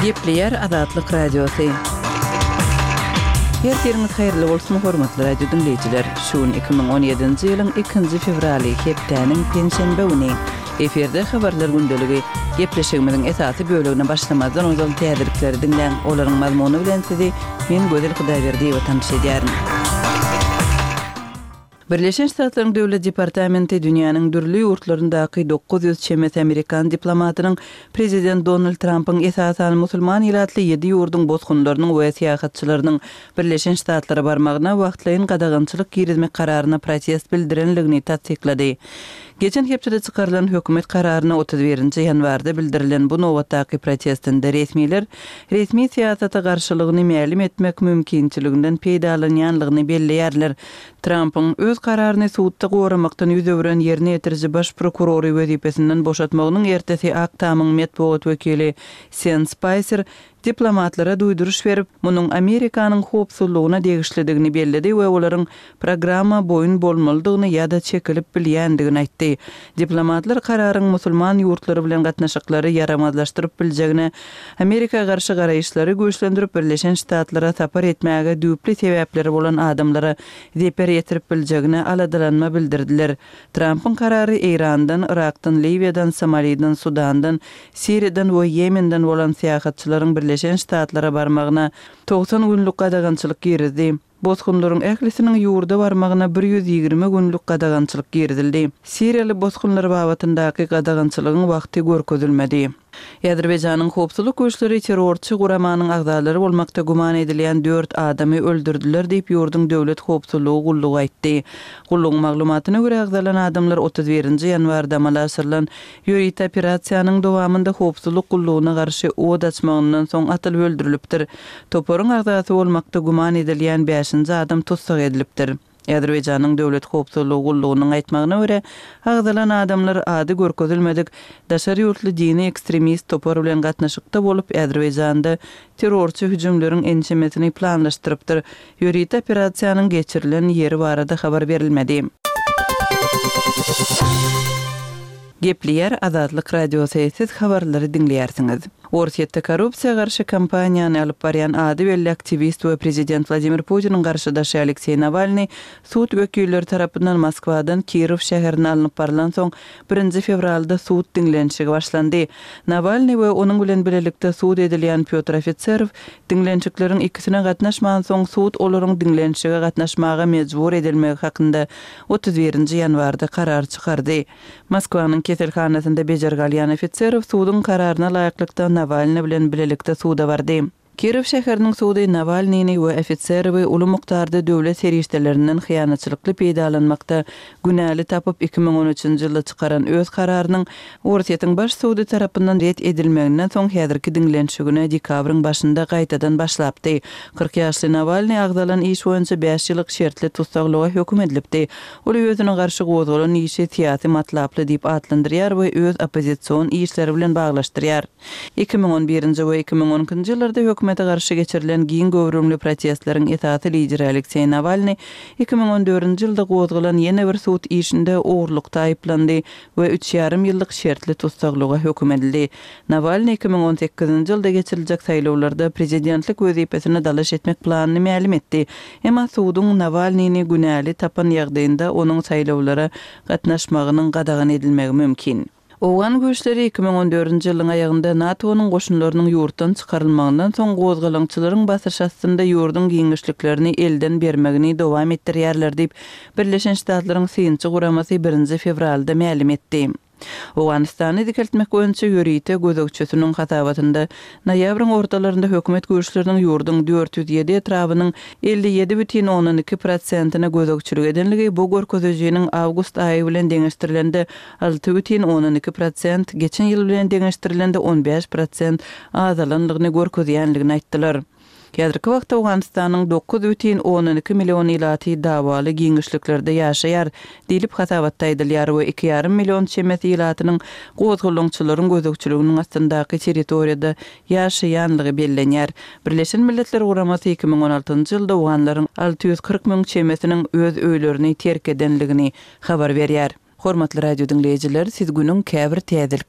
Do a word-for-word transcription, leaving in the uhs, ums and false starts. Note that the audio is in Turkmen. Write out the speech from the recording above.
Gepleýär Azatlyk Radiosy. Ertiriňiz haýyrly bolsun, hormatly radio diňleýjiler! Şu gün iki müň on ýedinji ýylyň ikinji fewraly, hepdäniň penşenbe güni. Efirde Habarlar gündeligi. Gepleşigimiziň esasy bölegine başlamazdan ozal täzelikleri diňläň. Olaryň mazmuny bilen sizi men Gözel Hudaýberdiýewa tanyş edýärin. Birleşen Ştatlaryň Döwlet departamenti dünýäniň dürli ýurtlaryndaky dokuz ýüz çemesi amerikan diplomatynyň prezident Donald Trampyň esasan musulman ilatly ýedi ýurduň bosgunlarynyň we syýahatçylarynyň Birleşen Ştatlara barmagyna wagtlaýyn gadagançylyk girizmek kararyna protest bildirenligini tassyklady. Geçen hepdede çykarylan hökümet kararyna otuz birinji ýanwarda bildirilen bu nobatdaky protestinde resmiler resmi syýasata garşylygyny mälim etmek mümkinçiliginden peýdalanýanlygyny belleýärler. Trampyň öz kararyny sudda goramakdan ýüz öwren ýerine ýetiriji baş prokurory wezipesinden boşatmagynyň ertesi Ak Tamyň metbugat wekili Sen Spaýser diplomatlara duýduryş berip, munuň Amerikanyň howpsuzlygyna degişlidigini belledi we olaryň programma boýun bolmalydygyny ýa-da çekilip bilýändigini aýtdy. Diplomatlar kararyň musulman ýurtlary bilen gatnaşyklary ýaramazlaşdyryp biljegine, Amerika garşy garaýyşlary güýçlendirip, Birleşen Ştatlara sapar etmäge düýpli sebäpleri bolan adamlara zeper ýetirip biljegine aladalanma bildirdiler. Trampyň karary Eýrandan, Yrakdan, Liwiýadan, Somaliden, Sudandan, Siriýadan we Ýemenden bolan syýahatçylaryň Birleşen Ştatlara barmagyna togsan günlük gadagançylyk girizdi. Bosgunlaryň ählisiniň ýurda barmagyna bir ýüz ýigrimi günlük gadagançylyk girizildi. Siriýaly bosgunlar babatyndaky gadagançylygyň wagty görkezilmedi. Azerbaýjanyň howpsuzlyk güýçleri terrorçy guramanyň agzalary bolmakda güman edilýän dört adamy öldürdiler diýip, ýurduň döwlet howpsuzlygy gullugy aýtdy. Gullugyň maglumatyna görä, agzalan adamlar otuz birinji ýanwarda amala aşyrylan ýörite operasiýanyň dowamynda howpsuzlyk gullugyna garşy od açmagyndan soň atylyp öldürilipdir. Toparyň agzasy bolmakda güman edilýän bäşinji adam tussag edilipdir. Azerbaýjanyň döwlet howpsuzlygy gullugynyň aýtmagyna görä, agzalan adamlar ady görkezilmedik daşary ýurtly dini ekstremist topar bilen gatnaşykda bolup, Azerbaýjanda terrorçy hüjümleriň ençemesini planlaşdyrypdyr. Ýörite operasiýanyň geçirilen ýeri barada habar berilmedi. Gepleýär Azatlyk Radiosy, siz habarlary diňleýärsiňiz. Orsýetde korrupsiýa garşy kampaniýany alyp barýan ady belli aktiwist we prezident Wladimir Putiniň garşydaşy Alekseý Nawalnyý sud wekilleri tarapyndan Moskwadan Kirow şäherine alnyp barylansoň, birinji fewralda sud diňlenişigi başlandy. Nawalnyý we onuň bilen bilelikde sud edilýän Pýotr Ofiserow diňlenişikleriň ikisine gatnaşmansoň, sud olaryň diňlenişige gatnaşmaga mejbur edilmegi hakynda otuz birinji ýanwarda karar çykardy. Moskwanyň keselhanasynda bejergi alýan Ofiserow suduň kararyna laýyklykda Nawalnyý bilen bilelikde suda bardy. Kirow şäheriniň sudy Nawalnyny we Ofiserowy uly mukdarda döwlet serişdelerinden hyýanatçylykly peýdalanmakda günäli tapyp, iki müň on üçünji ýylda çykaran öz kararynyň Orsýetiň baş sudy tarapyndan ret edilmeginden soň häzirki diňlenişigine dekabryň başynda gaýtadan başlapdy. Kyrk ýaşly Nawalnyý agzalan iş boýunça bäş ýyllyk şertli tussaglyga höküm edilipdi. Ol özüne garşy gozgalan işi syýasy matlaply diýip atlandyrýar we öz oppozision işleri bilen baglaşdyrýar. Iki müň on birinji we iki müň on ikinji ýyllarda hökümete garşy geçirilen giň göwrümli protestleriň esasy lideri Alekseý Nawalnyý iki müň on dördünji ýylda gozgalan ýene bir sud işinde ogurlykda aýyplandy we üç ýarym ýyllyk şertli tussaglyga höküm edildi. Nawalnyý iki müň on sekizinji ýylda geçiriljek saýlawlarda prezidentlik wezipesine dalaş etmek planyny mälim etdi. Emma suduň Nawalnyny günäli tapan ýagdaýynda onuň saýlawlara gatnaşmagynyň gadagan edilmegi mümkin. Owgan güýçleri iki müň on dördünji ýylyň aýagynda NATO-nyň goşunlarynyň ýurtdan çykarylmagyndan soň gozgalaňçylaryň basyş astynda ýurduň giňişliklerini elden bermegini dowam etdirýärler diýip, Birleşen Ştatlaryň synçy guramasy birinji fewralda mälim etdi. Owganystany dikeltmek boýunça ýörite gözegçisiniň hasabatynda noýabryň ortalarynda hökümet güýçleriniň ýurduň dört ýüz ýedi etrabynyň elli ýedi bütin ondan iki prosentine gözegçilik edenligi bu görkezijiniň awgust aýy bilen deňeşdirilende alty bütin ondan iki prosent, geçen ýyl bilen deňeşdirilende on bäş prosent azalanlygyny görkezýänligini aýtdylar. Häzirki wagtda Owganystanyň dokuz bütin ondan iki million ilaty dawaly giňişliklerde ýaşaýar diýlip hasabatda aýdylýar we iki ýarym million çemesi ilatynyň gozgalaňçylaryň gözegçiliginiň astyndaky territoriýada ýaşaýanlygy bellenýär. Birleşen Milletler Guramasy iki müň on altynjy ýylda owganlaryň alty ýüz kyrk müň çemesiniň öz öýlerini terk edenligini habar berýär. Hormatly radio diňleýjiler, siz günüň käbir täzelikleri